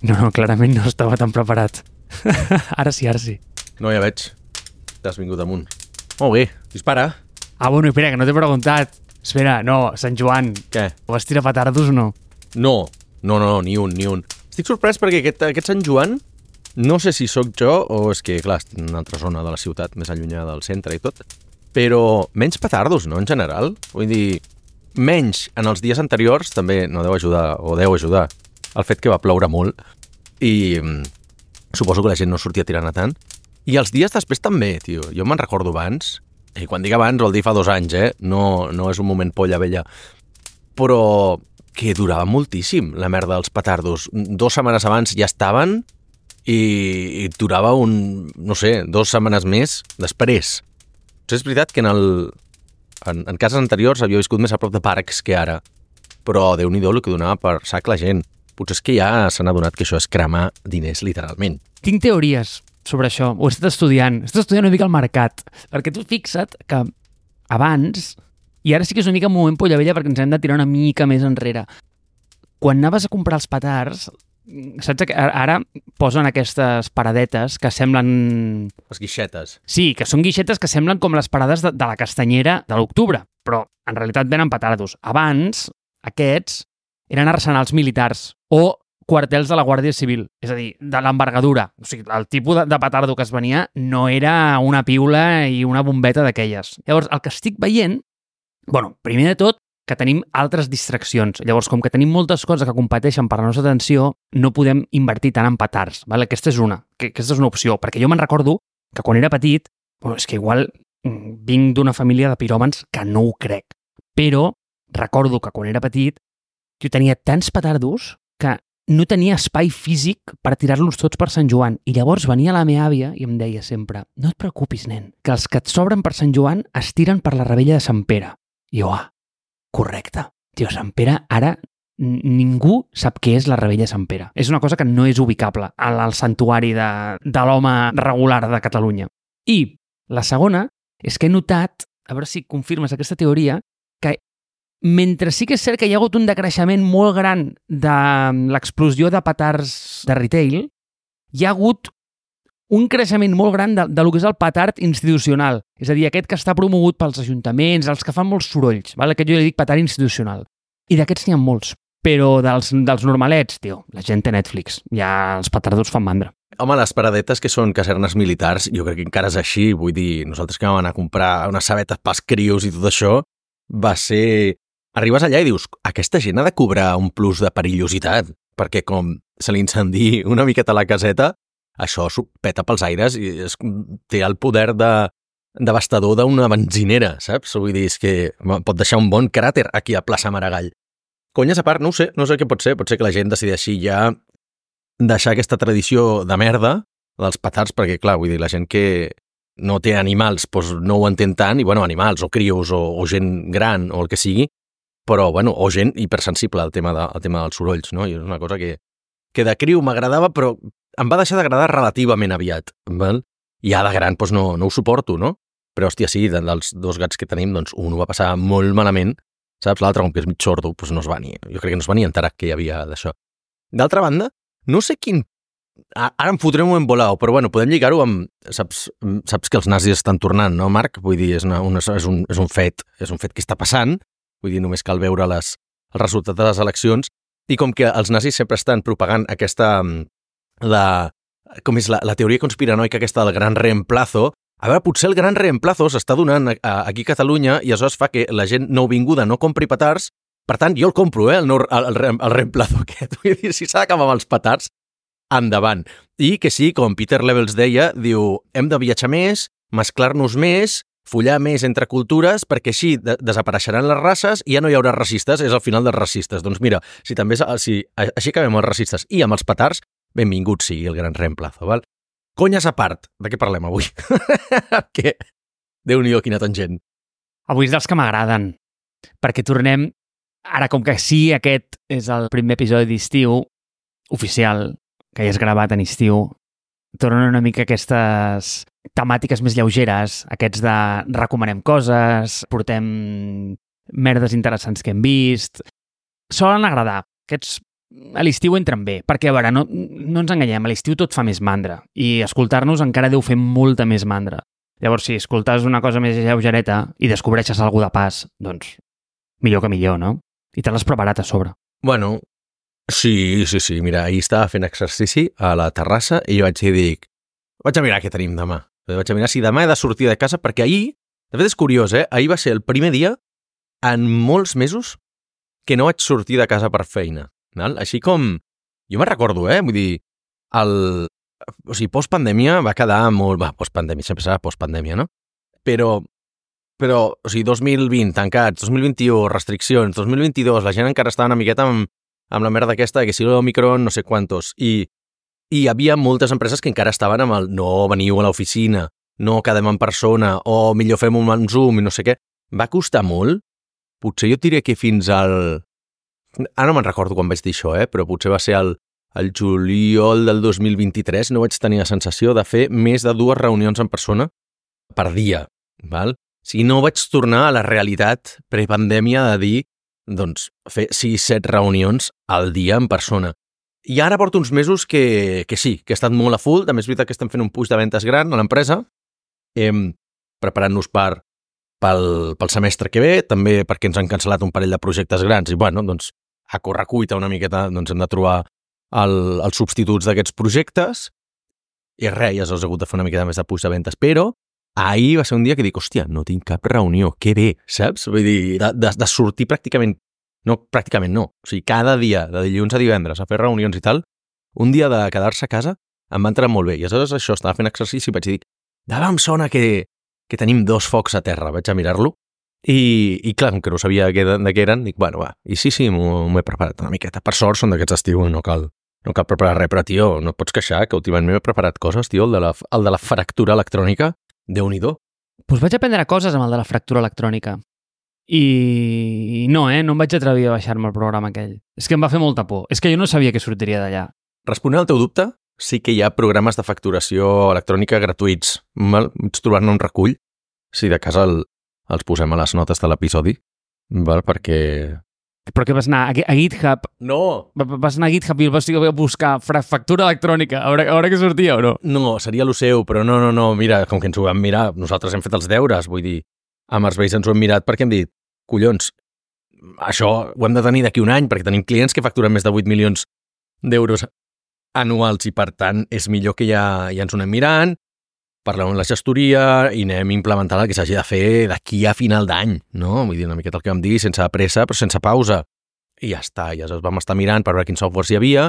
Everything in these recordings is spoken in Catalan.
No, clarament no estava tan preparat. Ara sí. No, ja veig. T'has vingut amunt. Molt bé, dispara. Bueno, espera, que no t'he preguntat. Espera, no, Sant Joan. Què? Vas tirar petardos o no? No, ni un. Estic sorprès perquè aquest Sant Joan, no sé si sóc jo o és que, clar, estic en una altra zona de la ciutat, més allunyada del centre i tot, però menys petardos, no?, en general. Vull dir, menys en els dies anteriors, també no deu ajudar, o deu ajudar, el fet que va ploure molt i suposo que la gent no sortia tirant a tant. I els dies després també, tio. Jo me'n recordo abans, i quan dic abans vol dir fa 2 anys, no és un moment polla vella, però que durava moltíssim la merda dels petardos. 2 setmanes abans ja estaven i durava no sé, 2 setmanes més després. És veritat que en cases anteriors havia viscut més a prop de parcs que ara, però Déu-n'hi-do el que donava per sac la gent. Potser és que ja s'han adonat que això és cremar diners literalment. Tinc teories sobre això. Ho he estat estudiant una mica al mercat, perquè tu fixa't que abans, i ara sí que és una mica un moment polla vella perquè ens hem de tirar una mica més enrere, quan anaves a comprar els petards, saps que ara posen aquestes paradetes que semblen... Les guixetes. Sí, que són guixetes que semblen com les parades de la castanyera de l'octubre, però en realitat venen petardos. Abans, aquests eren arsenals militars o quartels de la Guàrdia Civil, és a dir, de l'envergadura. O sigui, el tipus de petardo que es venia no era una piula i una bombeta d'aquelles. Llavors, el que estic veient, primer de tot, que tenim altres distraccions. Llavors, com que tenim moltes coses que competeixen per la nostra atenció, no podem invertir tant en petards. Vale? Aquesta és una opció, perquè jo me'n recordo que quan era petit, és que igual vinc d'una família de piròmans que no ho crec, però recordo que quan era petit jo tenia tants petardos que no tenia espai físic per tirar-los tots per Sant Joan. I llavors venia la meva àvia i em deia sempre: no et preocupis, nen, que els que et sobren per Sant Joan es tiren per la Rebella de Sant Pere. I jo, correcte. Tio, Sant Pere, ara ningú sap què és la Rebella de Sant Pere. És una cosa que no és ubicable al santuari de l'home regular de Catalunya. I la segona és que he notat, a veure si confirmes aquesta teoria, que mentre sí que és cert que hi ha hagut un decreixement molt gran de l'explosió de petards de retail, hi ha hagut un creixement molt gran de lo que és el petard institucional. És a dir, aquest que està promogut pels ajuntaments, els que fan molts sorolls, val? Aquest jo li dic petard institucional. I d'aquests n'hi ha molts. Però dels normalets, tio, la gent té Netflix. Ja els petardos fan mandra. Home, les paradetes que són casernes militars, jo crec que encara és així. Vull dir, nosaltres que vam anar a comprar unes sabetes pels crios i tot això, va ser... Arribes allà i dius, aquesta gent ha de cobrar un plus de perillositat, perquè com se li incendi una miqueta la caseta, això s'ho peta pels aires i té el poder devastador d'una benzinera, saps? Vull dir, és que pot deixar un bon cràter aquí a plaça Maragall. Conyes a part, no sé què pot ser que la gent decideixi ja deixar aquesta tradició de merda dels petards, perquè clar, vull dir, la gent que no té animals doncs no ho entén tant, i bueno, animals o crios o gent gran o el que sigui, però bueno, o gent hipersensible al tema dels sorolls, no? I és una cosa que de criu m'agradava, però em va deixar d'agradar relativament aviat, val? I ja de gran doncs no ho suporto, no? Però hòstia, sí, dels 2 gats que tenim, doncs un ho va passar molt malament, saps? L'altre, com que és mig sordo, doncs no es va jo crec que no es va ni enterar que hi havia d'això. D'altra banda, no sé quin... Ara em fotré un moment volau, però bueno, podem lligar-ho amb... Saps que els nazis estan tornant, no, Marc? Vull dir, és un fet que està passant. Vull dir, només cal veure el resultat de les eleccions, i com que els nazis sempre estan propagant aquesta, com és la teoria conspiranoica aquesta del gran reemplazo, a veure, potser el gran reemplazo s'està donant aquí a Catalunya i això es fa que la gent nouvinguda no compri petards, per tant, jo el compro, el reemplazo aquest. Vull dir, si s'ha d'acabar amb els petards, endavant. I que sí, com Peter Levels deia, diu, hem de viatjar més, mesclar-nos més, follar més entre cultures, perquè així desapareixeran les races i ja no hi haurà racistes, és el final dels racistes. Doncs mira, si així acabem amb els racistes i amb els petards, benvingut sigui el gran reemplazo, val? Conyes a part, de què parlem avui? Que Déu-n'hi-do, quina tangent. Avui és dels que m'agraden, perquè tornem, ara com que sí, aquest és el primer episodi d'estiu oficial, que ja és gravat en estiu, tornen una mica aquestes temàtiques més lleugeres, aquests de recomanem coses, portem merdes interessants que hem vist. Solen agradar. Aquests a l'estiu entren bé, perquè, a veure, no ens enganyem, a l'estiu tot fa més mandra, i escoltar-nos encara deu fer molta més mandra. Llavors, si escoltes una cosa més lleugereta i descobreixes alguna de pas, doncs, millor que millor, no? I te l'has preparat a sobre. Bueno, sí, mira, ahir estava fent exercici a la terrassa i jo vaig dir, vaig a mirar què tenim demà. Vaig a mirar si demà he de sortir de casa, perquè ahir, de fet és curiós, ahir va ser el primer dia en molts mesos que no vaig sortir de casa per feina. Val? Així com, jo me'n recordo, vull dir, o sigui, postpandèmia va quedar molt... Postpandèmia, sempre serà postpandèmia, no? Però, o sigui, 2020, tancats, 2021, restriccions, 2022, la gent encara estava una miqueta amb la merda aquesta, que si l'Omicron, no sé quantos, i hi havia moltes empreses que encara estaven amb el no veniu a l'oficina, no quedem en persona, o millor fem un Zoom i no sé què. Va costar molt. Potser jo et diré que fins al... Ara no me'n recordo quan vaig dir això, però potser va ser el juliol del 2023, no vaig tenir la sensació de fer més de 2 reunions en persona per dia, val? O sigui, no vaig tornar a la realitat prepandèmia de dir, doncs, fer 6-7 reunions al dia en persona. I ara porto uns mesos que sí, que he estat molt a full, també és veritat que estem fent un puix de ventes gran a l'empresa, preparant-nos pel semestre que ve, també perquè ens han cancel·lat un parell de projectes grans i, bueno, doncs, a correcuita una miqueta, doncs hem de trobar els substituts d'aquests projectes i res, ja s'ha hagut de fer una miqueta més de puix de ventes, però ahir va ser un dia que dic, hòstia, no tinc cap reunió, que bé, saps? Vull dir, de sortir pràcticament no, o sigui, cada dia, de dilluns a divendres, a fer reunions i tal, un dia de quedar-se a casa em va entrar molt bé, i aleshores això, estava fent exercici i vaig dir, demà em sona que tenim 2 focs a terra, vaig a mirar-lo, i clar, com que no sabia de què eren, dic, bueno, va, i sí, m'ho he preparat una miqueta, per sort són d'aquests estiu, no cal preparar res, però, tio, no et pots queixar que últimament m'he preparat coses, tio, el de la fractura electrònica, Déu-n'hi-do. Doncs vaig aprendre coses amb el de la fractura electrònica. I no, no em vaig atrevir a baixar-me el programa aquell. És que em va fer molta por. És que jo no sabia que sortiria d'allà. Responent al teu dubte, sí que hi ha programes de facturació electrònica gratuïts. Vaig trobar-ne un recull. Si de casa els posem a les notes de l'episodi, perquè... Però què vas anar a GitHub? No! Vas anar a GitHub i el vas buscar factura electrònica, a veure què sortia o no? No, seria lo seu, però no, mira, com que ens ho vam mirar, nosaltres hem fet els deures, vull dir, amb els vells ens ho hem mirat perquè hem dit, collons, això ho hem de tenir d'aquí un any, perquè tenim clients que facturen més de 8 milions d'euros anuals i, per tant, és millor que ja ens ho anem mirant, parlem amb la gestoria i anem implementant el que s'hagi de fer d'aquí a final d'any, no? Vull dir, una miqueta el que vam dir, sense pressa, però sense pausa. I ja està, ja ens vam estar mirant per veure quins softwares hi havia,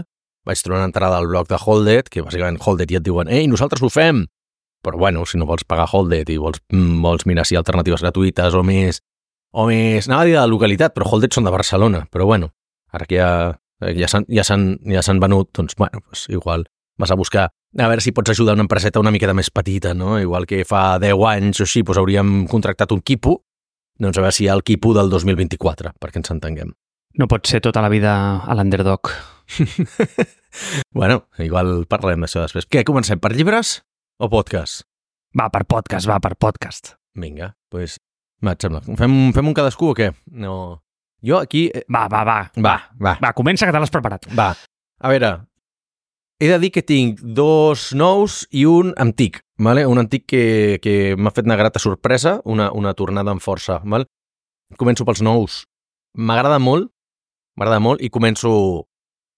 vaig trobar una entrada al blog de Holded, que bàsicament Holded ja et diuen, ei, nosaltres ho fem! Però bueno, si no vols pagar Holded i vols mirar si hi ha alternatives gratuïtes o més, anava a dir de localitat, però Holded són de Barcelona, però bueno, ara que ja s'han venut, doncs bueno, pues igual vas a buscar a veure si pots ajudar una empreseta una miqueta més petita, no? Igual que fa 10 anys o així, doncs hauríem contractat un quipo, doncs a veure si hi ha el quipo del 2024, perquè ens entenguem. No pot ser tota la vida a l'underdog. Bueno, igual parlarem d'això després. Què, comencem per llibres o podcast? Va per podcast. Vinga, doncs, et sembla. Fem un cadascú o què? No... Jo aquí... Va, comença que te l'has preparat. Va, a veure... He de dir que tinc 2 nous i un antic, vale? Un antic que m'ha fet una grata sorpresa, una tornada amb força. Vale? Començo pels nous. M'agrada molt i començo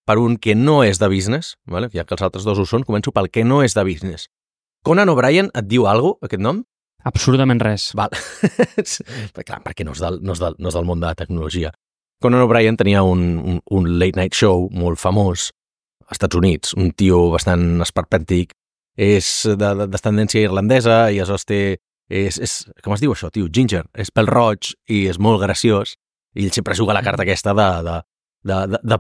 per un que no és de business, vale? Ja que els altres 2 ho són, començo pel que no és de business. Conan O'Brien et diu alguna cosa, aquest nom? Absolutament res. Val. Clar, perquè no és del món de la tecnologia. Conan O'Brien tenia un late night show molt famós als Estats Units, un tio bastant esperpèntic, és de tendència irlandesa i aleshores és com es diu això, tio? Ginger, és pèl roig i és molt graciós i ell sempre juga la carta aquesta de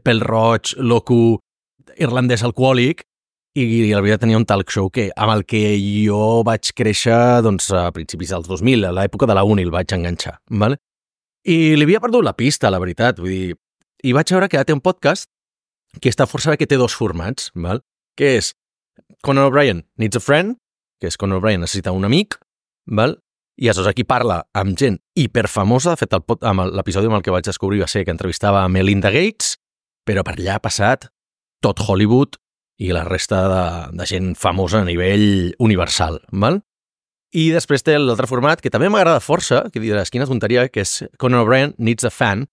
pèl roig, loco, irlandès alcohòlic i la veritat tenia un talk show amb el que jo vaig créixer doncs, a principis dels 2000, a l'època de la uni el vaig enganxar, ¿vale? I li havia perdut la pista, la veritat, vull dir, i vaig veure que ara té un podcast que està força bé, que té 2 formats, val? Que és Conan O'Brien Needs a Friend, que és Conan O'Brien necessita un amic, val? I aleshores aquí parla amb gent hiperfamosa, de fet l'episodi amb el que vaig descobrir va ser que entrevistava a Melinda Gates, però per allà ha passat tot Hollywood i la resta de gent famosa a nivell universal, val? I després té l'altre format, que també m'agrada força, que diràs, quina tonteria, que és Conan O'Brien Needs a Fan,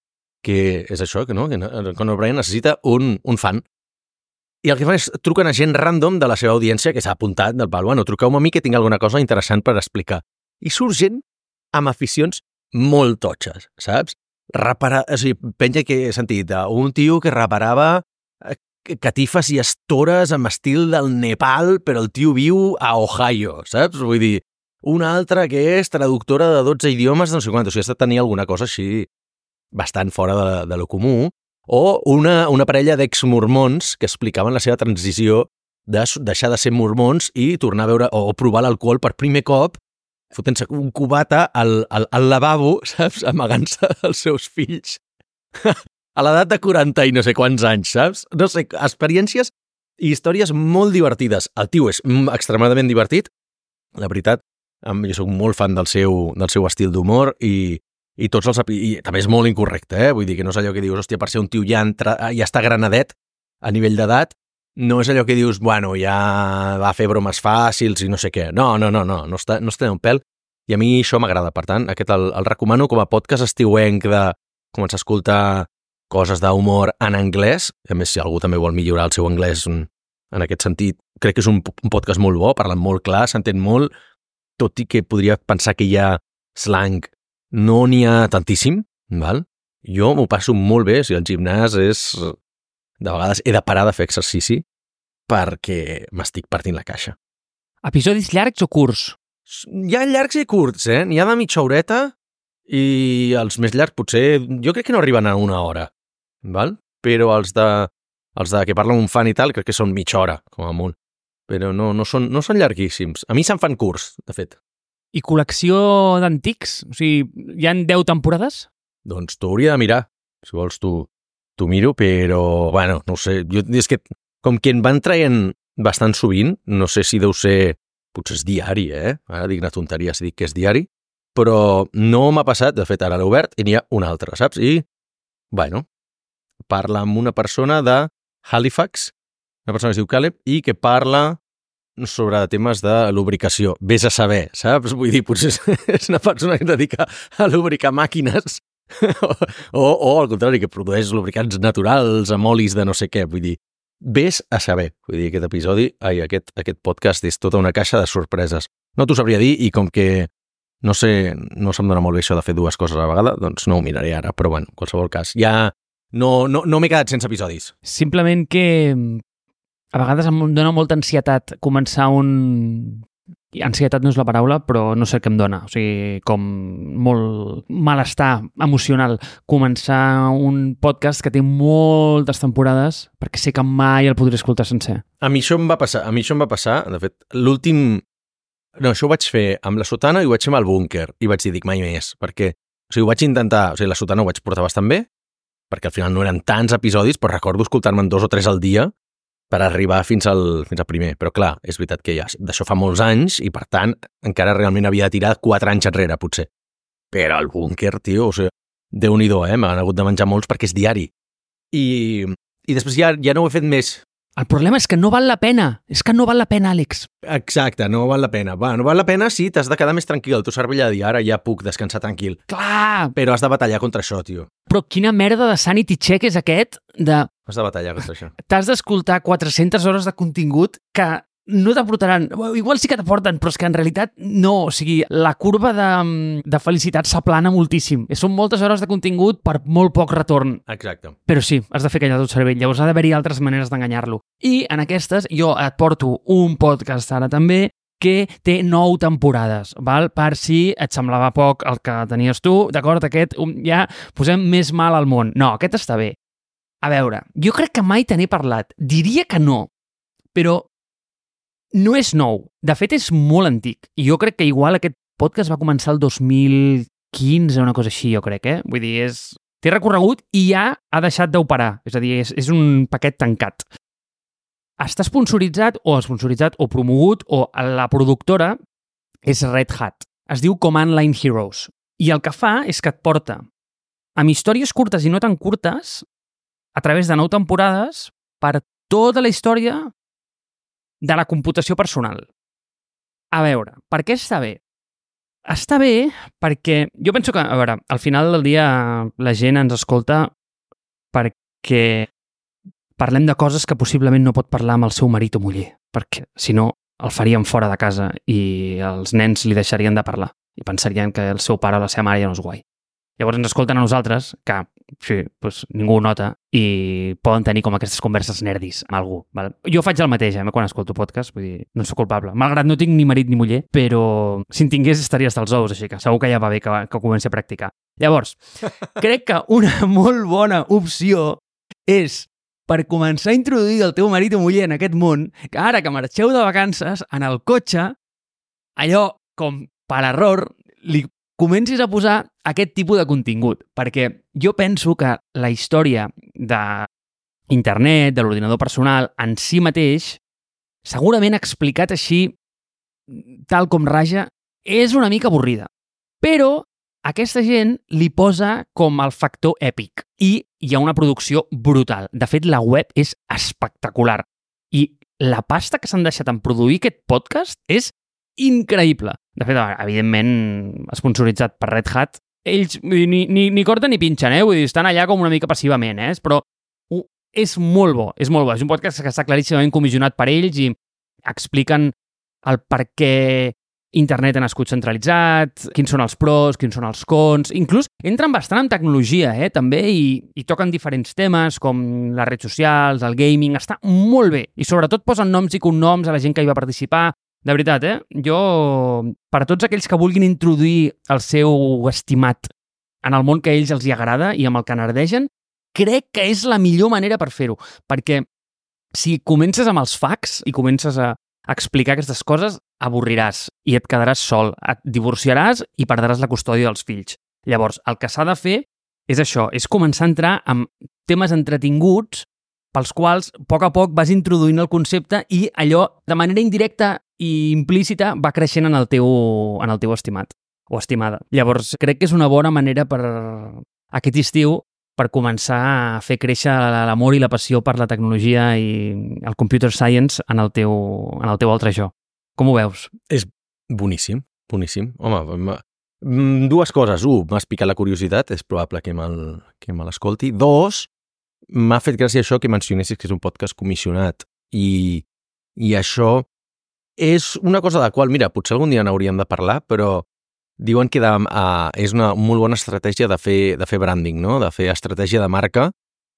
que és això, que no? Que Conan O'Brien necessita un fan. I el que fan és truquen a gent random de la seva audiència que s'ha apuntat del pal, bueno, truqueu-me a mi que tinc alguna cosa interessant per explicar. I surt gent amb aficions molt totxes, saps? O sigui, penja que he sentit un tio que reparava catifes i estores amb estil del Nepal, però el tio viu a Ohio, saps? Vull dir, una altra que és traductora de 12 idiomes de no sé quant, o sigui, has de tenir alguna cosa així bastant fora de lo comú, o una parella d'ex-mormons que explicaven la seva transició de deixar de ser mormons i tornar a veure o provar l'alcohol per primer cop, fotent-se un cubata al lavabo, saps? Amagant-se dels seus fills a l'edat de 40 i no sé quants anys, saps? No sé, experiències i històries molt divertides. El tio és extremadament divertit, la veritat, jo soc molt fan del seu estil d'humor i tots i també és molt incorrecte, vull dir que no és allò que dius, hòstia, per ser un tio ja està granadet a nivell d'edat, no és allò que dius, bueno, ja va fer bromes fàcils i no sé què. No està un pèl, i a mi això m'agrada. Per tant, aquest el recomano com a podcast estiuenc de començar a escoltar coses d'humor en anglès. A més, si algú també vol millorar el seu anglès en aquest sentit, crec que és un podcast molt bo, parlen molt clar, s'entén molt, tot i que podria pensar que hi ha slang. No n'hi ha tantíssim, val? Jo m'ho passo molt bé, si el gimnàs és... De vegades he de parar de fer exercici perquè m'estic partint la caixa. Episodis llargs o curts? Hi ha llargs i curts, N'hi ha de mitja horeta i els més llargs potser... Jo crec que no arriben a una hora, val? Però els de que parlen un fan i tal crec que són mitja hora, com a molt. Però no són llarguíssims. A mi se'n fan curts, de fet. I col·lecció d'antics? O sigui, hi han 10 temporades? Doncs t'ho hauria de mirar. Si vols t'ho miro, però, bueno, no ho sé. És que, com que en van traient bastant sovint, no sé si deu ser... Potser és diari, Ara dic una tonteria si dic que és diari, però no m'ha passat, de fet, ara l'he obert i n'hi ha un altre, saps? I, bueno, parla amb una persona de Halifax, una persona que es diu Caleb, i que parla sobre temes de lubricació. Vés a saber, saps? Vull dir, potser és una persona que es dedica a lubricar màquines o al contrari, que produeix lubricants naturals amb olis de no sé què. Vull dir, vés a saber. Vull dir, aquest podcast és tota una caixa de sorpreses. No t'ho sabria dir i com que no sé, no se'm dona molt bé això de fer dues coses a la vegada, doncs no ho miraré ara, però bueno, en qualsevol cas, ja no m'he quedat sense episodis. Simplement que a vegades em dona molta ansietat començar Ansietat no és la paraula, però no sé què em dona. O sigui, com molt malestar emocional començar un podcast que té moltes temporades perquè sé que mai el podré escoltar sencer. A mi això em va passar, de fet, l'últim... No, això ho vaig fer amb la sotana i ho vaig fer amb el búnquer i vaig dir, dic, mai més, perquè ho vaig intentar, la sotana ho vaig portar bastant bé, perquè al final no eren tants episodis, però recordo escoltar-me'n 2 o 3 al dia per arribar fins al primer. Però clar, és veritat que ja d'això fa molts anys i, per tant, encara realment havia de tirar 4 anys enrere, potser. Però el búnquer, tio, o sigui, Déu-n'hi-do, m'han hagut de menjar molts perquè és diari. I després ja no ho he fet més. El problema és que no val la pena. És que no val la pena, Àlex. Exacte, no val la pena. Va, no val la pena si t'has de quedar més tranquil. El teu cervell ha de dir, ara ja puc descansar tranquil. Clar! Però has de batallar contra això, tio. Però quina merda de sanity check és aquest de... Has de batallar contra això. T'has d'escoltar 400 hores de contingut que no t'aportaran. Igual sí que t'aporten, però és que en realitat no. O sigui, la curva de felicitat s'aplana moltíssim. Són moltes hores de contingut per molt poc retorn. Exacte. Però sí, has de fer callar tot cervell. Llavors ha d'haver-hi altres maneres d'enganyar-lo. I en aquestes jo et porto un podcast ara també que té 9 temporades, val? Per si et semblava poc el que tenies tu, d'acord? Aquest ja posem més mal al món. No, aquest està bé. A veure, jo crec que mai te n'he parlat. Diria que no, però no és nou. De fet, és molt antic. I jo crec que igual aquest podcast va començar el 2015, una cosa així, jo crec, Vull dir, té recorregut i ja ha deixat d'operar. És a dir, és un paquet tancat. Està sponsoritzat o promogut, o la productora és Red Hat. Es diu Command Line Heroes. I el que fa és que et porta amb històries curtes i no tan curtes a través de 9 temporades per tota la història de la computació personal. A veure, per què està bé? Està bé perquè jo penso que, a veure, al final del dia la gent ens escolta perquè parlem de coses que possiblement no pot parlar amb el seu marit o muller, perquè si no el farien fora de casa i els nens li deixarien de parlar i pensarien que el seu pare o la seva mare ja no és guai. Llavors ens escolten a nosaltres, que sí, doncs ningú ho nota, i poden tenir com aquestes converses nerdis amb algú. Val? Jo faig el mateix, quan escolto podcast, vull dir, no soc culpable. Malgrat no tinc ni marit ni muller, però si en tingués estaria hasta els ous, així que segur que ja va bé que comenci a practicar. Llavors, crec que una molt bona opció és per començar a introduir el teu marit o muller en aquest món, que ara que marxeu de vacances, en el cotxe, allò com per error, li comencis a posar aquest tipus de contingut, perquè jo penso que la història d'internet, de l'ordinador personal, en si mateix, segurament explicat així, tal com raja, és una mica avorrida. Però aquesta gent li posa com el factor èpic i hi ha una producció brutal. De fet, la web és espectacular i la pasta que s'han deixat en produir aquest podcast és increïble. De fet, evidentment, sponsoritzat per Red Hat, ells ni corten ni pinxen, vull dir, estan allà com una mica passivament, però és molt bo, és molt bo. És un podcast que està claríssimament comissionat per ells i expliquen el per què internet ha nascut centralitzat, quins són els pros, quins són els cons, inclús entren bastant en tecnologia, també, i toquen diferents temes com les redes socials, el gaming, està molt bé. I sobretot posen noms i cognoms a la gent que hi va participar. De veritat, jo, per a tots aquells que vulguin introduir el seu estimat en el món que a ells els hi agrada i amb el que nerdegen, crec que és la millor manera per fer-ho, perquè si comences amb els facts i comences a explicar aquestes coses, avorriràs i et quedaràs sol, et divorciaràs i perdràs la custòdia dels fills. Llavors, el que s'ha de fer és això, és començar a entrar en temes entretinguts pels quals, a poc vas introduint el concepte i allò, de manera indirecta i implícita, va creixent en el teu estimat o estimada. Llavors, crec que és una bona manera per aquest estiu per començar a fer créixer l'amor i la passió per la tecnologia i el computer science en el teu altre jo. Com ho veus? És boníssim, boníssim. Home, dues coses. M'has picat la curiositat, és probable que me l'escolti. Dos, m'ha fet gràcia això que mencionessis que és un podcast comissionat i això és una cosa de la qual, mira, potser algun dia n'hauríem de parlar, però diuen que és una molt bona estratègia de fer branding, no? De fer estratègia de marca,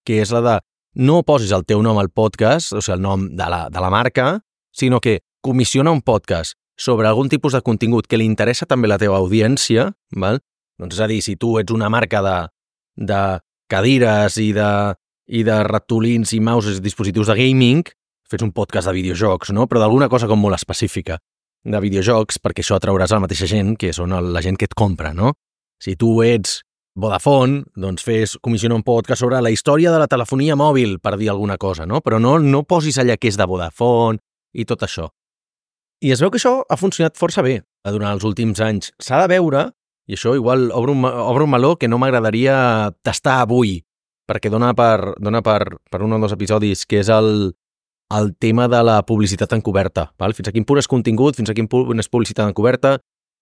que és la de no posis el teu nom al podcast, o sigui, el nom de la marca, sinó que comissiona un podcast sobre algun tipus de contingut que li interessa també la teva audiència, val? Doncs és a dir, si tu ets una marca de cadires i de ratolins i mouses i dispositius de gaming, fes un podcast de videojocs, no? Però d'alguna cosa com molt específica de videojocs, perquè això atrauràs a la mateixa gent que són la gent que et compra, no? Si tu ets Vodafone, doncs comissiona un podcast sobre la història de la telefonia mòbil, per dir alguna cosa, no? Però no posis allà que és de Vodafone i tot això. I es veu que això ha funcionat força bé durant els últims anys. S'ha de veure, i això igual obre un meló que no m'agradaria tastar avui, perquè dona per un o dos episodis, que és el tema de la publicitat encoberta. Val? Fins a quin punt és contingut, fins a quin punt és publicitat encoberta.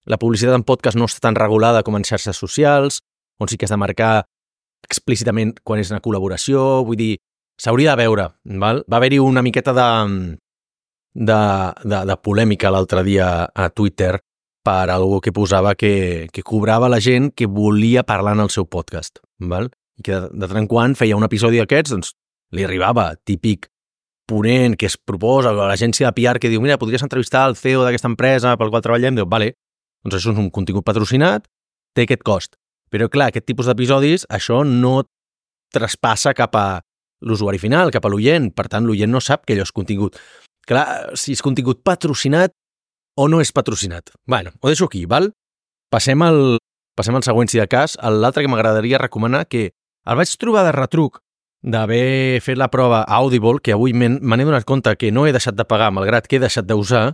La publicitat en podcast no està tan regulada com en xarxes socials, on sí que has de marcar explícitament quan és una col·laboració. Vull dir, s'hauria de veure. Val? Va haver-hi una miqueta de polèmica l'altre dia a Twitter per algú que posava que cobrava la gent que volia parlar en el seu podcast. Val? I que de tant en quant feia un episodi d'aquests, doncs li arribava típic ponent que es proposa, a l'agència de PR que diu, mira, podries entrevistar el CEO d'aquesta empresa pel qual treballem, diu, vale, doncs això és un contingut patrocinat, té aquest cost. Però clar, aquest tipus d'episodis, això no traspassa cap a l'usuari final, cap a l'oient, per tant, l'oient no sap que allò és contingut. Clar, si és contingut patrocinat o no és patrocinat. Bueno, ho deixo aquí, val? Passem al següent, si de cas. L'altre que m'agradaria recomanar, que el vaig trobar de retruc d'haver fet la prova a Audible, que avui me n'he donat compte que no he deixat de pagar, malgrat que he deixat d'usar,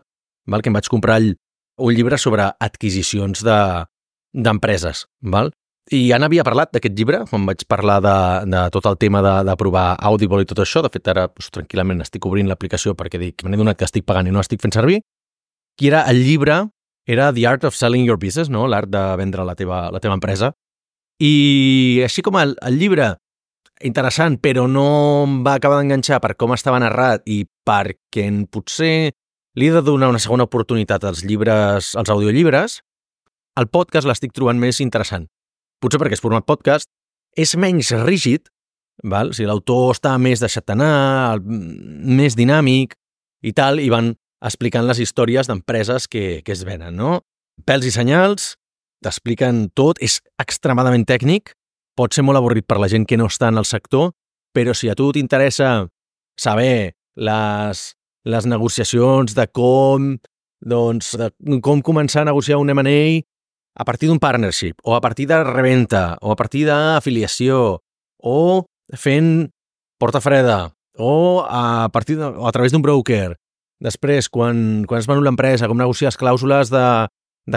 val? Que em vaig comprar un llibre sobre adquisicions d'empreses. Val? I ja n'havia parlat d'aquest llibre, quan vaig parlar de tot el tema de provar Audible i tot això. De fet, ara tranquil·lament estic obrint l'aplicació perquè dic, me n'he donat que estic pagant i no l'estic fent servir. I era el llibre, era The Art of Selling Your Business, no? L'art de vendre la teva empresa. I així com el llibre, interessant, però no em va acabar d'enganxar per com estava narrat i perquè potser li he de donar una segona oportunitat als llibres, als audiollibres, el podcast l'estic trobant més interessant. Potser perquè és format podcast, és menys rígid, val? O sigui, l'autor està més deixat anar, més dinàmic i tal, i van explicant les històries d'empreses que es venen, no? Pèls i senyals, t'expliquen tot, és extremadament tècnic, pot ser molt avorrit per la gent que no està en el sector, però si a tu t'interessa saber les negociacions de com començar a negociar un M&A a partir d'un partnership, o a partir de reventa, o a partir d'afiliació, o fent porta freda, o a través d'un broker. Després, quan es venut l'empresa, com negociar les clàusules de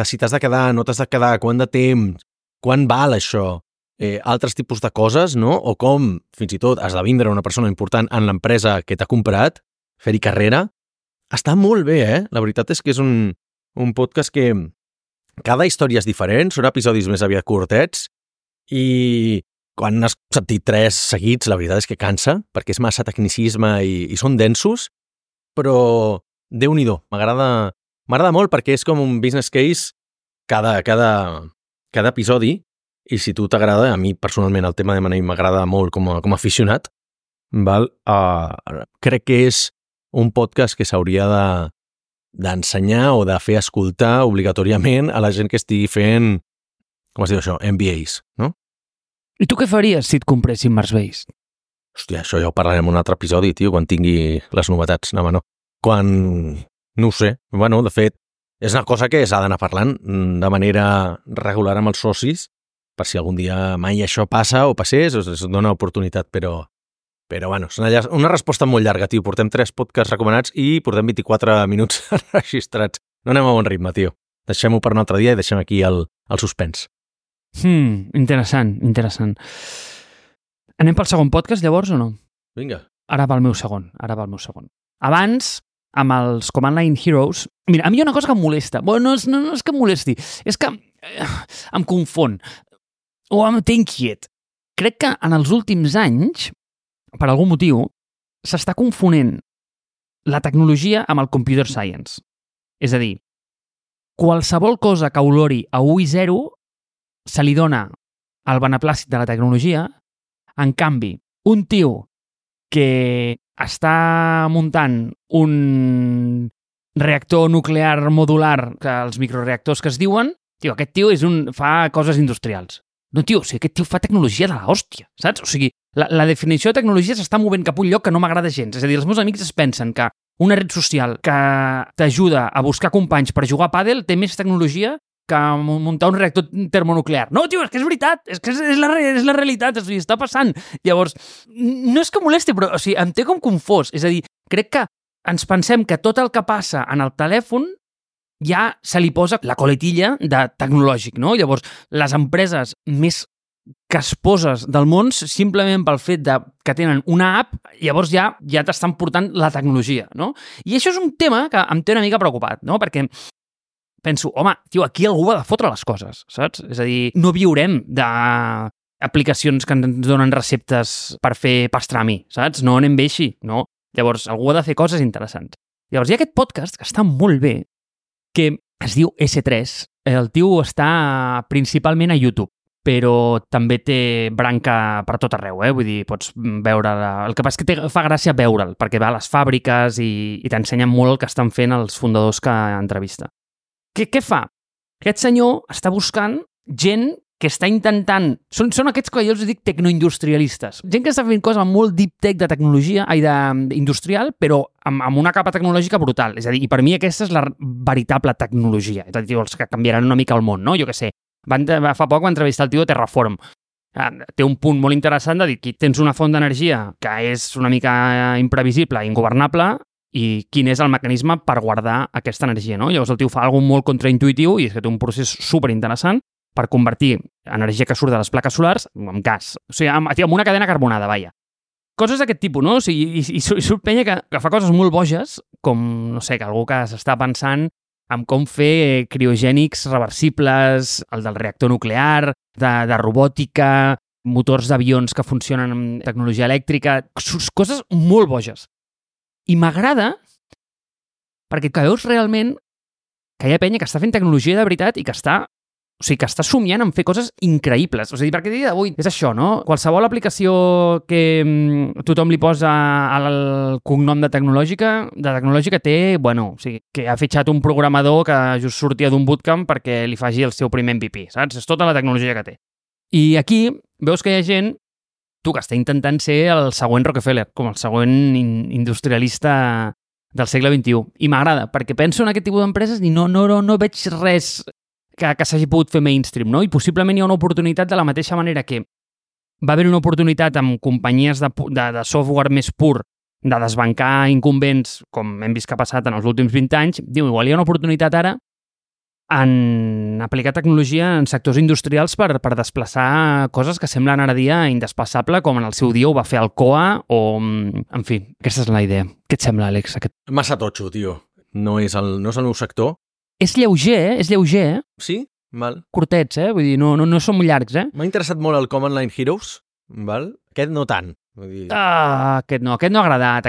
si t'has de quedar, no t'has de quedar, quant de temps, quan val això, altres tipus de coses, no? O com, fins i tot, has de vindre una persona important en l'empresa que t'ha comprat, fer-hi carrera. Està molt bé, La veritat és que és un podcast que cada història és diferent, són episodis més aviat curtets, i quan has sentit 3 seguits, la veritat és que cansa, perquè és massa tecnicisme i són densos, però Déu-n'hi-do, m'agrada molt perquè és com un business case cada episodi, i si tu t'agrada, a mi personalment el tema de M&A m'agrada molt com a aficionat, val? Crec que és un podcast que s'hauria d'ensenyar o de fer escoltar obligatòriament a la gent que estigui fent, com es diu això, MBAs, no? I tu què faries si et compressin Marsbase? Hòstia, això ja ho parlarem en un altre episodi, tio, quan tingui les novetats. No. No ho sé. Bueno, de fet, és una cosa que s'ha d'anar parlant de manera regular amb els socis, per si algun dia mai això passa o passés, es dona oportunitat, però bueno, és una resposta molt llarga, tio. Portem 3 podcasts recomanats i portem 24 minuts registrats. No anem a bon ritme, tio. Deixem-ho per un altre dia i deixem aquí el suspens. Interessant. Anem pel segon podcast, llavors, o no? Vinga. Ara va el meu segon. Abans, amb els Command Line Heroes... Mira, a mi hi ha una cosa que em molesta. Bueno, no és que em molesti, és que em confon. O em té inquiet. Crec que en els últims anys, per algun motiu, s'està confonent la tecnologia amb el computer science. És a dir, qualsevol cosa que olori a 1 i 0 se li dona el beneplàcit de la tecnologia. En canvi, un tio que està muntant un reactor nuclear modular, que els microreactors que es diuen, tio, aquest tio fa coses industrials. No, tio, o sigui, aquest tio fa tecnologia de l'hòstia, saps? O sigui, la definició de tecnologia s'està movent cap a un lloc que no m'agrada gens. És a dir, els meus amics es pensen que una red social que t'ajuda a buscar companys per jugar a pàdel té més tecnologia que muntar un reactor termonuclear. No, tio, és que és veritat, és que és la realitat, o sigui, està passant. Llavors, no és que molesti, però o sigui, em té com confós. És a dir, crec que ens pensem que tot el que passa en el telèfon ja se li posa la coletilla de tecnològic, no? Llavors, les empreses més casposes del món, simplement pel fet que tenen una app, llavors ja t'estan portant la tecnologia, no? I això és un tema que em té una mica preocupat, no? Perquè penso, home, tio, aquí algú ha de fotre les coses, saps? És a dir, no viurem d'aplicacions que ens donen receptes per fer pastrami, saps? No anem bé així, no? Llavors, algú ha de fer coses interessants. Llavors, hi ha aquest podcast que està molt bé, que es diu S3. El tio està principalment a YouTube, però també té branca per tot arreu, Vull dir, pots veure... El que passa és que fa gràcia veure'l, perquè va a les fàbriques i t'ensenyen molt el que estan fent els fundadors que entrevista. Què fa? Aquest senyor està buscant gent que està intentant... Són aquests que jo els dic tecnoindustrialistes. Gent que està fent coses molt deep tech de tecnologia, industrial, però amb una capa tecnològica brutal. És a dir, i per mi aquesta és la veritable tecnologia. És a dir, els que canviaran una mica el món, no? Jo què sé. Fa poc va entrevistar el tio de Terraform. Té un punt molt interessant de dir que tens una font d'energia que és una mica imprevisible i ingovernable i quin és el mecanisme per guardar aquesta energia, no? Llavors el tio fa alguna molt contraintuitiu i és que té un procés superinteressant per convertir energia que surt de les plaques solars en gas. O sigui, amb una cadena carbonada, vaja. Coses d'aquest tipus, no? O sigui, i surt penya que fa coses molt boges, com, no sé, que algú que s'està pensant en com fer criogènics reversibles, el del reactor nuclear, de robòtica, motors d'avions que funcionen amb tecnologia elèctrica, coses molt boges. I m'agrada perquè veus realment que hi ha penya que està fent tecnologia de veritat i que està somiant en fer coses increïbles. O sigui, perquè a dia d'avui és això, no? Qualsevol aplicació que tothom li posa al cognom de tecnològica té, bueno, o sigui, que ha fitxat un programador que just sortia d'un bootcamp perquè li faci el seu primer MVP, saps? És tota la tecnologia que té. I aquí veus que hi ha gent, que està intentant ser el següent Rockefeller, com el següent industrialista del segle XXI. I m'agrada, perquè penso en aquest tipus d'empreses i no veig res que s'hagi pogut fer mainstream, no? I possiblement hi ha una oportunitat de la mateixa manera que va haver una oportunitat amb companyies de software més pur de desbancar incumbents, com hem vist que ha passat en els últims 20 anys. Igual hi ha una oportunitat ara en aplicar tecnologia en sectors industrials per desplaçar coses que semblen ara dia indesplaçable, com en el seu dia ho va fer Alcoa o... En fi, aquesta és la idea. Què et sembla, Àlex? Massa totxo, tio. No és el meu sector. És lleuger, eh? Sí? Val. Curtets, vull dir, no són molt llargs, M'ha interessat molt el Command Line Heroes, val? Aquest no tant. Vull dir... Aquest no ha agradat.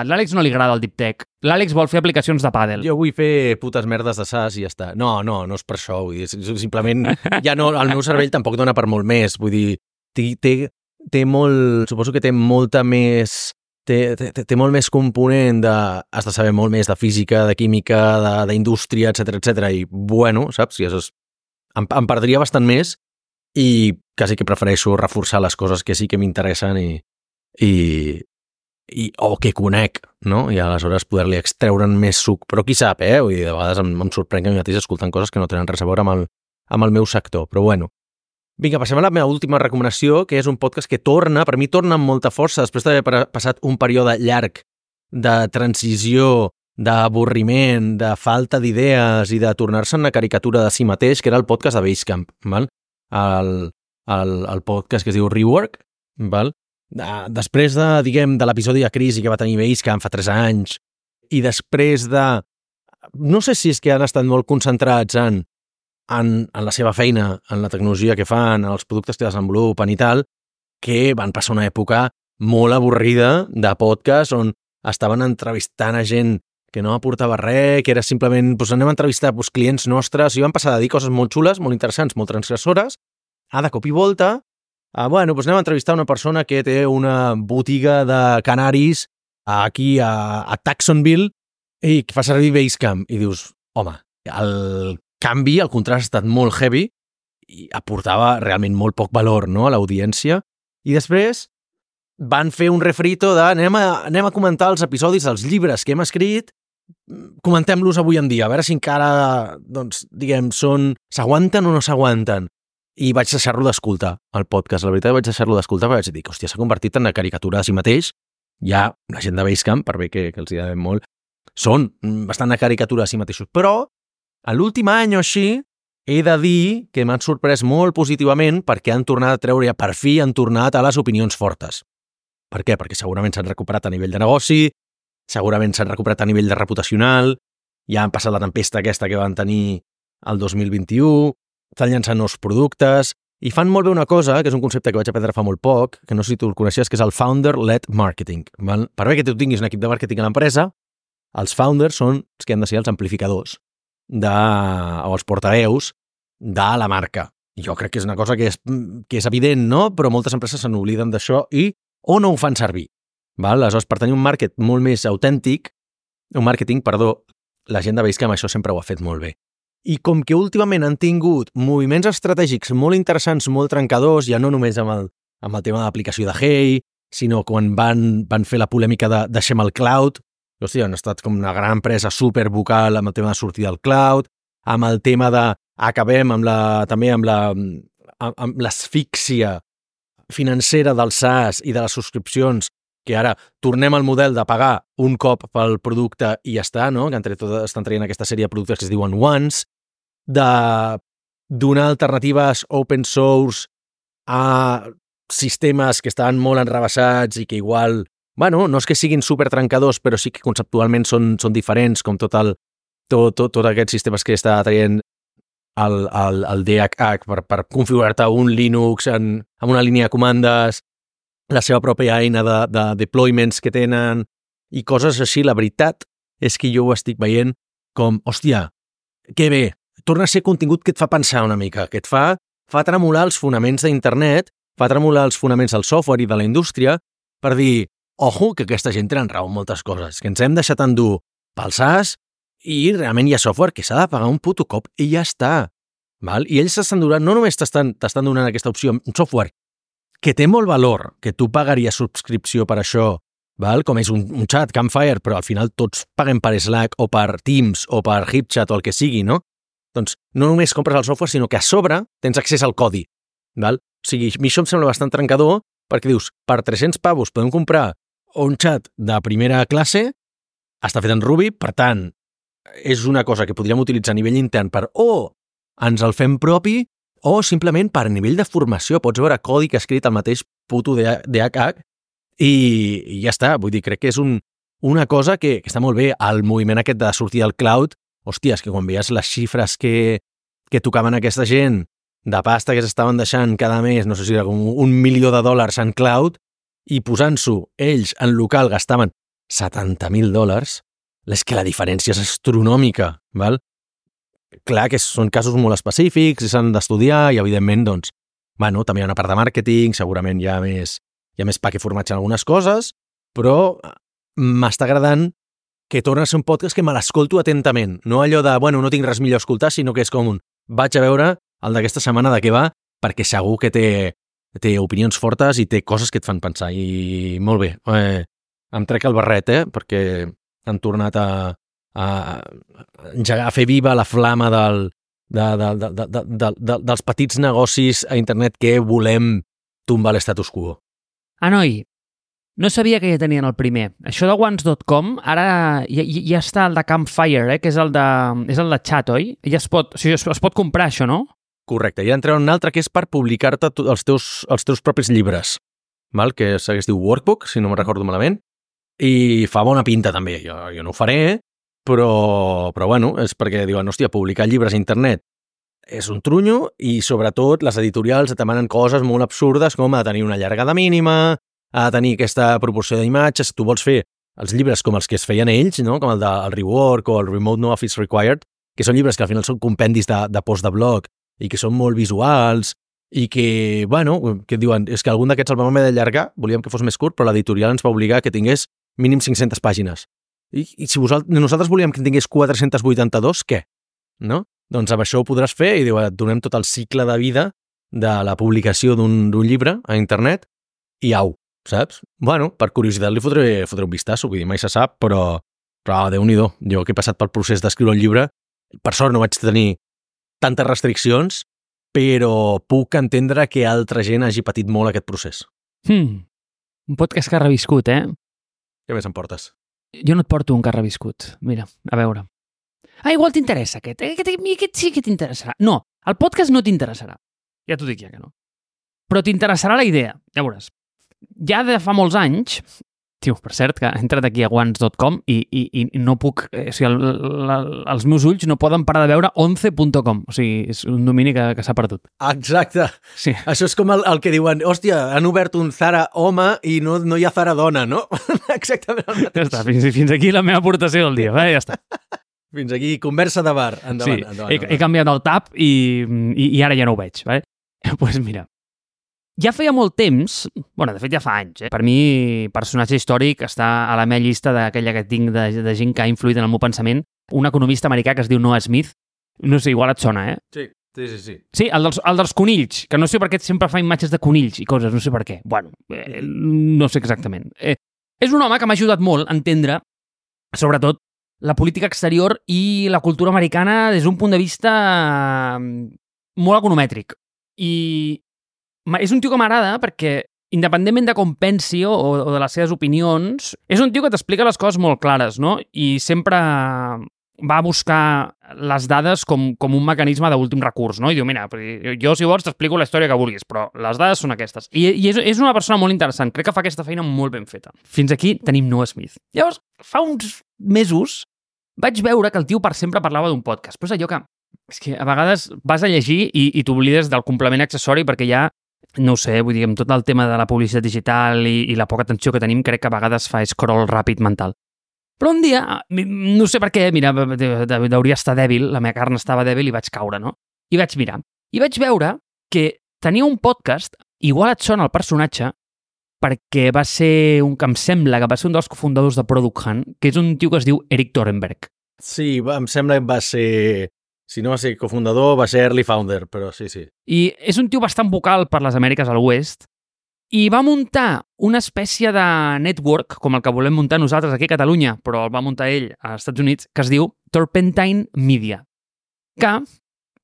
L'Àlex no li agrada el Deep Tech. L'Àlex vol fer aplicacions de pàdel. Jo vull fer putes merdes de SAS i ja està. No és per això, vull dir, simplement ja no, el meu cervell tampoc dona per molt més, vull dir, té molt, suposo que té molta més... Té molt més component has de saber molt més de física, de química, d'indústria, etc. I bueno, saps? Em perdria bastant més i quasi que prefereixo reforçar les coses que sí que m'interessen o que conec, no? I aleshores poder-li extreure'n més suc. Però qui sap, Vull dir, de vegades em sorprèn que mi mateix escoltant coses que no tenen res a veure amb el meu sector. Però bueno. Vinga, passem a la meva última recomanació, que és un podcast que per mi torna amb molta força després d'haver passat un període llarg de transició, d'avorriment, de falta d'idees i de tornar-se en una caricatura de si mateix, que era el podcast de Basecamp, val? El podcast que es diu Rework, val? Després de l'episodi de crisi que va tenir Basecamp fa 3 anys, i després de... No sé si és que han estat molt concentrats en la seva feina, en la tecnologia que fan, en els productes que desenvolupen i tal, que van passar una època molt avorrida de podcast on estaven entrevistant a gent que no aportava res, que era simplement, anem a entrevistar clients nostres, i van passar a dir coses molt xules, molt interessants, molt transgressores, de cop i volta, anem a entrevistar una persona que té una botiga de canaris aquí a Jacksonville i que fa servir Basecamp. I dius, home, el canvi, el contrast ha estat molt heavy i aportava realment molt poc valor, no, a l'audiència. I després van fer un refrito de anem a comentar els episodis dels llibres que hem escrit, comentem-los avui en dia, a veure si encara, s'aguanten o no s'aguanten. I vaig deixar-lo d'escoltar, el podcast. La veritat, vaig deixar-lo d'escoltar perquè vaig dir, hòstia, s'ha convertit en una caricatura de si mateix. Ja la gent de Basecamp, per bé que els hi devem molt, són bastant una caricatura de si mateixos. Però a l'últim any o així, he de dir que m'han sorprès molt positivament perquè han tornat a treure, per fi han tornat a les opinions fortes. Per què? Perquè segurament s'han recuperat a nivell de negoci, segurament s'han recuperat a nivell de reputacional, ja han passat la tempesta aquesta que van tenir el 2021, estan llançant nous productes, i fan molt bé una cosa, que és un concepte que vaig aprendre fa molt poc, que no sé si tu el coneixies, que és el Founder-led Marketing. Per bé que tu tinguis un equip de màrqueting a l'empresa, els founders són els que han de ser els amplificadors o els portaveus de la marca. Jo crec que és una cosa que és evident, no? Però moltes empreses se n'obliden d'això o no ho fan servir. Aleshores, per tenir un màrqueting molt més autèntic, la gent de Basecamp això sempre ho ha fet molt bé. I com que últimament han tingut moviments estratègics molt interessants, molt trencadors, ja no només amb el tema d'aplicació de Hey, sinó quan van fer la polèmica de deixem el cloud, hòstia, han estat com una gran empresa supervocal amb el tema de sortir del cloud, amb el tema de acabem amb l'asfíxia financera del SaaS i de les subscripcions, que ara tornem al model de pagar un cop pel producte i ja està, no? Que entre tot estan traient aquesta sèrie de productes que es diuen Once, de donar alternatives open source a sistemes que estaven molt enrebaçats i que igual, bueno, no és que siguin super trencadors, però sí que conceptualment són diferents, com tot aquests sistemes que està traient el DHH per configurar-te un Linux amb una línia de comandes, la seva pròpia eina de deployments que tenen i coses així. La veritat és que jo ho estic veient com, hòstia, que bé, torna a ser contingut que et fa pensar una mica, que et fa tremolar els fonaments d'internet, fa tremolar els fonaments del software i de la indústria per dir, ojo, que aquesta gent tenen raó en moltes coses, que ens hem deixat endur pel SAS i realment hi ha software que s'ha de pagar un puto cop i ja està. Val? I ells s'estan donant, no només t'estan donant aquesta opció, un software que té molt valor, que tu pagaries subscripció per això, val? Com és un chat, Campfire, però al final tots paguem per Slack o per Teams o per HipChat o el que sigui, no? Doncs no només compres el software, sinó que a sobre tens accés al codi. Val? O sigui, a mi això em sembla bastant trencador perquè dius, per 300 pavos podem comprar un chat de primera classe, està fet en Ruby, per tant, és una cosa que podríem utilitzar a nivell intern per ens el fem propi o simplement per nivell de formació. Pots veure codi que ha escrit el mateix puto DHH i ja està. Vull dir, crec que és una cosa que està molt bé. El moviment aquest de sortir al cloud, hòstia, és que quan veies les xifres que tocaven aquesta gent de pasta que s'estaven deixant cada mes, no sé si era com $1 milió en cloud, i posant-s'ho ells en local gastaven $70,000, és que la diferència és astronòmica, val? Clar que són casos molt específics i s'han d'estudiar i, evidentment, doncs, bueno, també hi ha una part de màrqueting, segurament hi ha més pa que formatge en algunes coses, però m'està agradant que torna a ser un podcast que me l'escolto atentament, no allò de, bueno, no tinc res millor a escoltar, sinó que és com vaig a veure el d'aquesta setmana de què va, perquè segur que té opinions fortes i té coses que et fan pensar. I molt bé, em trec el barret, perquè han tornat a engegar, a fer viva la flama dels petits negocis a internet que volem tombar l'estatus quo. Noi, no sabia que ja tenien el primer. Això de Once.com, ara ja està el de Campfire, que és el de chat, oi? Ja es pot comprar, això, no? Correcte, i han tret un altre que és per publicar-te els teus propis llibres, val? Que es diu Workbook, si no me'n recordo malament, i fa bona pinta també. Jo no ho faré, però bueno, és perquè diuen, hòstia, publicar llibres a internet és un trunyo i sobretot les editorials et demanen coses molt absurdes com ha de tenir una llargada mínima, ha de tenir aquesta proporció d'imatges. Tu vols fer els llibres com els que es feien ells, no? Com el Rework o el Remote No Office Required, que són llibres que al final són compendis de post de blog i que són molt visuals i que, bueno, que diuen, és que algun d'aquests el vam haver d'allargar, volíem que fos més curt, però l'editorial ens va obligar que tingués mínim 500 pàgines. I si nosaltres volíem que tingués 482, què? No? Doncs amb això ho podràs fer i et donem tot el cicle de vida de la publicació d'un llibre a internet i au, saps? Bueno, per curiositat li fotré un vistazo, vull dir, mai se sap, però Déu-n'hi-do. Jo que he passat pel procés d'escriure un llibre, per sort no vaig tenir tantes restriccions, però puc entendre que altra gent hagi patit molt aquest procés. Un podcast que ha reviscut, Què més em portes? Jo no et porto un que ha reviscut. Mira, a veure. Igual t'interessa aquest. Aquest sí que t'interessarà. No, el podcast no t'interessarà. Ja t'ho dic ja que no. Però t'interessarà la idea. Ja veuràs. Ja de fa molts anys, tio, per cert, que he entrat aquí a Once.com i no puc... O sigui, els meus ulls no poden parar de veure 11.com. O sigui, és un domini que s'ha perdut. Exacte. Sí. Això és com el que diuen, hòstia, han obert un Zara home i no hi ha Zara dona, no? Exactament el mateix. Ja està, fins aquí la meva aportació del dia. Ja està. Fins aquí, conversa de bar. Endavant, sí, endavant. He canviat el tab i ara ja no ho veig. Doncs mira, ja feia molt temps, bueno, de fet ja fa anys, per mi personatge històric està a la meva llista d'aquella que tinc de gent que ha influït en el meu pensament, un economista americà que es diu Noah Smith, no sé, igual et sona, Sí. Sí, el dels conills, que no sé per què sempre fa imatges de conills i coses, no sé per què. Bueno, no sé exactament. És un home que m'ha ajudat molt a entendre, sobretot, la política exterior i la cultura americana des d'un punt de vista molt economètric. I és un tio que m'agrada perquè, independentment de com pensi o de les seves opinions, és un tio que t'explica les coses molt clares, no? I sempre va buscar les dades com un mecanisme d'últim recurs, no? I diu, mira, jo si vols t'explico la història que vulguis, però les dades són aquestes. I és una persona molt interessant, crec que fa aquesta feina molt ben feta. Fins aquí tenim Noah Smith. Llavors, fa uns mesos vaig veure que el tio per sempre parlava d'un podcast, però és allò que és que a vegades vas a llegir i t'oblides del complement accessori perquè ja, no ho sé, vull dir, amb tot el tema de la publicitat digital i la poca atenció que tenim, crec que a vegades fa scroll ràpid mental. Però un dia, no sé per què, mira, hauria estar dèbil, la meva carn estava dèbil i vaig caure, no? I vaig mirar. I vaig veure que tenia un podcast, igual et sona el personatge, perquè va ser que em sembla que va ser un dels cofundadors de Product Hunt, que és un tio que es diu Eric Torenberg. Sí, em sembla que va ser... Si no va ser cofundador, va ser early founder, però sí. I és un tio bastant vocal per les Amèriques a l'oest i va muntar una espècie de network, com el que volem muntar nosaltres aquí a Catalunya, però el va muntar ell als Estats Units, que es diu Turpentine Media, que,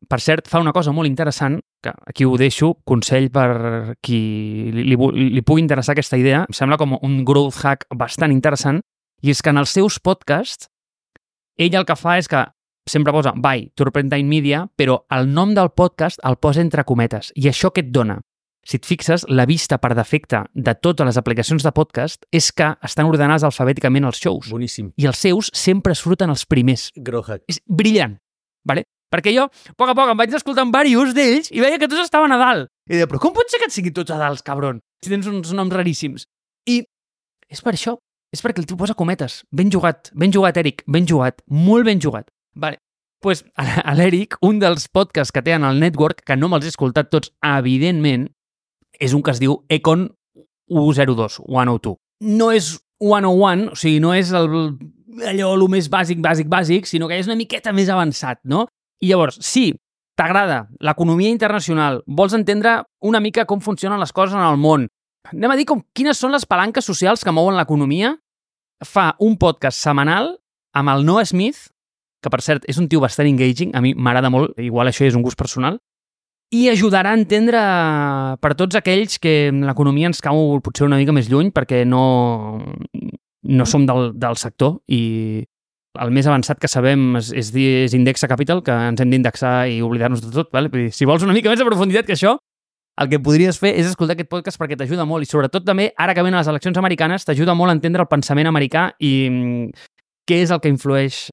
per cert, fa una cosa molt interessant, que aquí ho deixo, consell per qui li pugui interessar aquesta idea, em sembla com un growth hack bastant interessant, i és que en els seus podcasts ell el que fa és que sempre posa by Turpentine Media, però el nom del podcast el posa entre cometes. I això què et dona? Si et fixes, la vista per defecte de totes les aplicacions de podcast és que estan ordenats alfabèticament els shows. Boníssim. I els seus sempre surten els primers. Growth hack. És brillant, vale? Perquè jo, a poc a poc, em vaig escoltant diversos d'ells i veia que tots estaven a dalt. I deia, però com pot ser que et siguin tots a dalt, cabron? Si tens uns noms raríssims. I és per això. És perquè el tio posa cometes. Ben jugat, Eric, ben jugat, molt ben jugat. Vale. Pues a l'Eric, un dels podcasts que té en el network, que no me'ls he escoltat tots, evidentment, és un que es diu Econ 102, 102. No és 101, o sigui, no és allò el més bàsic, sinó que és una miqueta més avançat, no? I llavors, si t'agrada l'economia internacional, vols entendre una mica com funcionen les coses en el món, anem a dir quines són les palanques socials que mouen l'economia, fa un podcast setmanal amb el Noah Smith, que per cert és un tio bastant engaging, a mi m'agrada molt, igual això és un gust personal, i ajudarà a entendre per tots aquells que l'economia ens cau potser una mica més lluny perquè no som del sector i el més avançat que sabem és Indexa Capital, que ens hem d'indexar i oblidar-nos de tot. Vale? Si vols una mica més de profunditat que això, el que podries fer és escoltar aquest podcast perquè t'ajuda molt i sobretot també, ara que venen les eleccions americanes, t'ajuda molt a entendre el pensament americà i què és el que influeix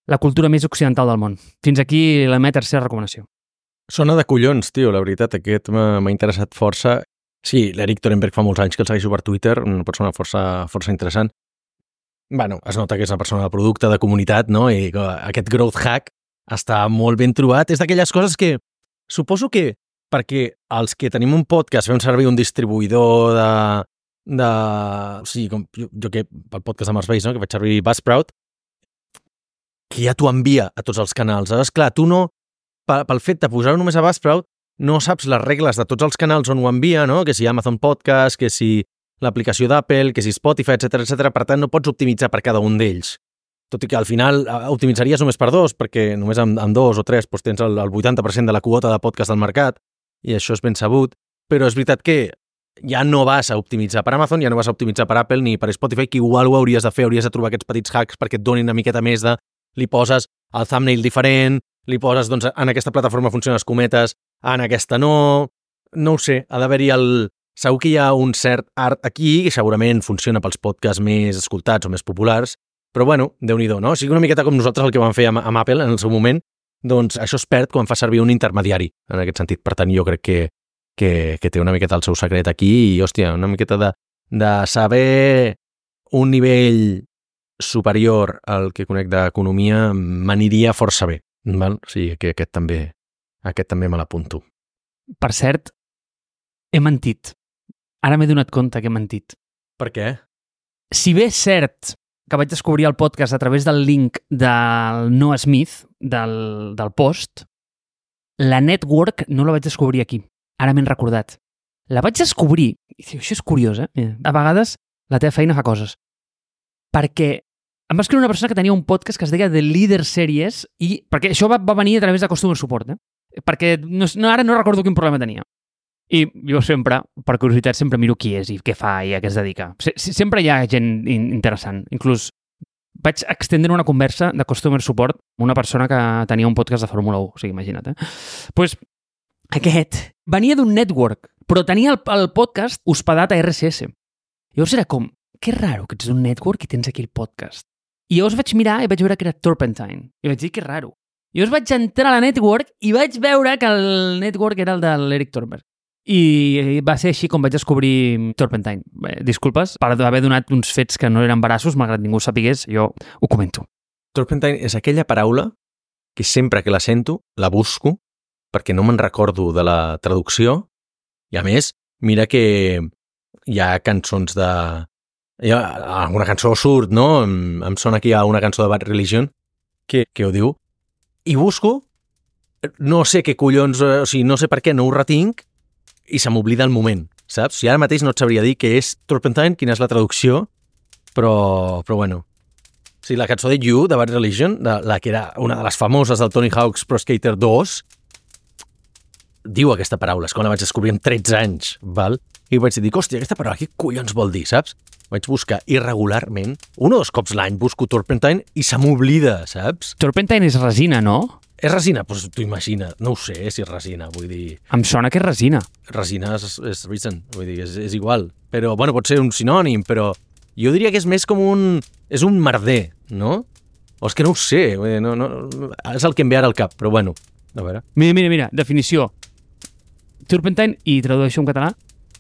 la cultura més occidental del món. Fins aquí la meva tercera recomanació. Sona de collons, tio, la veritat, aquest m'ha interessat força. Sí, l'Eric Torenberg fa molts anys que el segueixo per Twitter, una persona força interessant. Bueno, es nota que és una persona de producte, de comunitat, no? I aquest growth hack està molt ben trobat. És d'aquelles coses que suposo que perquè els que tenim un podcast fem servir un distribuïdor o sigui, com jo que pel podcast de Mars Base, no? Que vaig servir Buzzsprout, que ja t'ho envia a tots els canals. Llavors, clar, tu no, pel fet de posar-ho només a Buzzsprout, no saps les regles de tots els canals on ho envia, no? Que si Amazon Podcast, que si l'aplicació d'Apple, que si Spotify, etc. Per tant, no pots optimitzar per cada un d'ells. Tot i que al final optimitzaries només per dos, perquè només amb 2 o 3 doncs tens el 80% de la quota de podcast del mercat, i això és ben sabut. Però és veritat que ja no vas a optimitzar per Amazon, ja no vas a optimitzar per Apple ni per Spotify, que igual ho hauries de fer, hauries de trobar aquests petits hacks perquè et donin una miqueta més de... Li poses el thumbnail diferent, li poses, doncs, en aquesta plataforma funcionen les cometes, en aquesta no... No ho sé, ha d'haver-hi Segur que hi ha un cert art aquí, que segurament funciona pels podcasts més escoltats o més populars, però bueno, Déu-n'hi-do, no? O sigui, una miqueta com nosaltres el que vam fer amb Apple en el seu moment, doncs això es perd quan fa servir un intermediari, en aquest sentit. Per tant, jo crec que té una miqueta el seu secret aquí i, hòstia, una miqueta de saber un nivell superior al que conec d'economia m'aniria força bé, val? O sigui, que aquest també me l'apunto. Per cert, he mentit. Ara m'he donat compte que he mentit. Per què? Si bé és cert que vaig descobrir el podcast a través del link del Noah Smith, del post, la network no la vaig descobrir aquí. Ara m'he recordat. La vaig descobrir, i això és curiós, a vegades la teva feina fa coses, perquè em va escriure una persona que tenia un podcast que es deia The Leader Series, i perquè això va venir a través de Customer Support, perquè ara no recordo quin problema tenia. I jo sempre, per curiositat, sempre miro qui és i què fa i a què es dedica. Sempre hi ha gent interessant. Inclús vaig extendre una conversa de customer support amb una persona que tenia un podcast de Fórmula 1, o sigui, imagina't, Pues aquest venia d'un network, però tenia el podcast hospedat a RSS. Llavors era com, que raro que ets d'un network i tens aquí el podcast. I llavors vaig mirar i vaig veure que era Turpentine. I vaig dir, que raro. I llavors vaig entrar a la network i vaig veure que el network era el de l'Eric Thornberg. I va ser així com vaig descobrir Turpentine. Disculpes per haver donat uns fets que no eren veraços, malgrat ningú sapigués, jo ho comento. Turpentine és aquella paraula que sempre que la sento, la busco, perquè no me'n recordo de la traducció, i a més, mira que hi ha cançons de... Hi ha alguna cançó surt, no? Em sona aquí una cançó de Bad Religion que ho diu, i busco, no sé què collons, o sigui, no sé per què, no ho retinc, i se m'oblida el moment, saps? Si ara mateix no et sabria dir què és Turpentine, quina és la traducció, però bueno. O sigui, la cançó de You, de Bad Religion, la que era una de les famoses del Tony Hawk's Pro Skater 2, diu aquesta paraula, és quan la vaig descobrir amb 13 anys, val? I vaig dir, hòstia, aquesta paraula, què collons vol dir, saps? Vaig buscar irregularment, un o dos cops l'any busco Turpentine i se m'oblida, saps? Turpentine és resina, no? És resina? Doncs t'ho imagina. No ho sé si és resina, vull dir... Em sona que és resina. Resina és resin, vull dir, és igual. Però, bueno, pot ser un sinònim, però jo diria que és més com un... És un merder, no? O és que no ho sé, no, és el que em ve ara al cap, però bueno, a veure. Mira, definició. Turpentine, i tradueixo en català,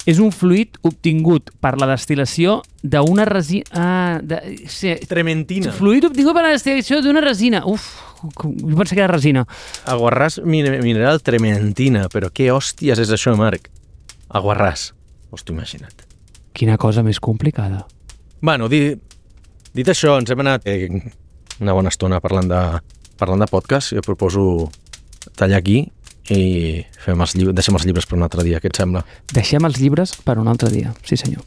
és un fluid obtingut per la destil·lació d'una resina... Trementina. Fluid obtingut per la destil·lació d'una resina. Uf, jo pensava que era resina. Aguarràs mineral trementina, però què hòsties és això, Marc? Aguarràs. Hòstia, imagina't. Quina cosa més complicada. Bueno, dit això, ens hem anat una bona estona parlant de podcast. Jo proposo tallar aquí i deixem els llibres per un altre dia, què et sembla? Deixem els llibres per un altre dia, sí senyor.